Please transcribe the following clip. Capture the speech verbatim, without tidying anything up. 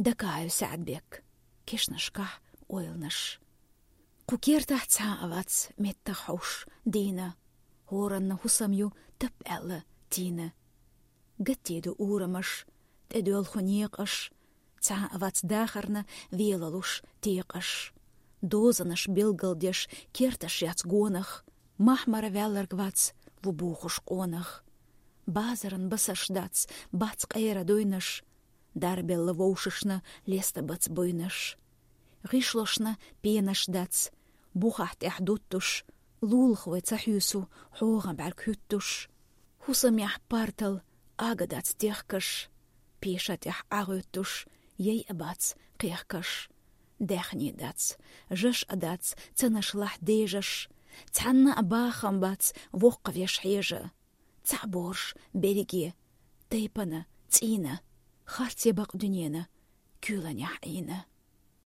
Дакаев Саьдбек. Кешнашкахь ойланаш. Кху кертахь цхьа а вац меттах хьовш дийна. ХӀоранна хӀусам ю тап аьлла тийна. Гатде ду урамаш, тӀедоьлху некъаш, цхьа а вац дахарна велалуш текъаш. Дозанаш билгалдеш керташ яц гонах, махмара ваьлларг вац ву бохуш къонах. Базаран басарш дац, бац къера дуйнаш, дарбелла вовшашна леста бац буйнаш. ГӀишлошна пенаш дац, бухахь тӀехь дуттуш, лулахой ца хьуьйсу хьогӀан бӀаьрг хӀуьттуш. ХӀусамехь партал ага дац техкаш, пеша тӀехь ӀагӀуьттуш, яй а бац кхехкаш. Даьхни дац, жаш а дац, цанашлахь дежаш, цхьанна а бахам бац воккхавеш хьежа. Цхьаъ борш берриге, тайпана, цӀийна, харце бакъ дуьнена, куьйланехь Ӏийна.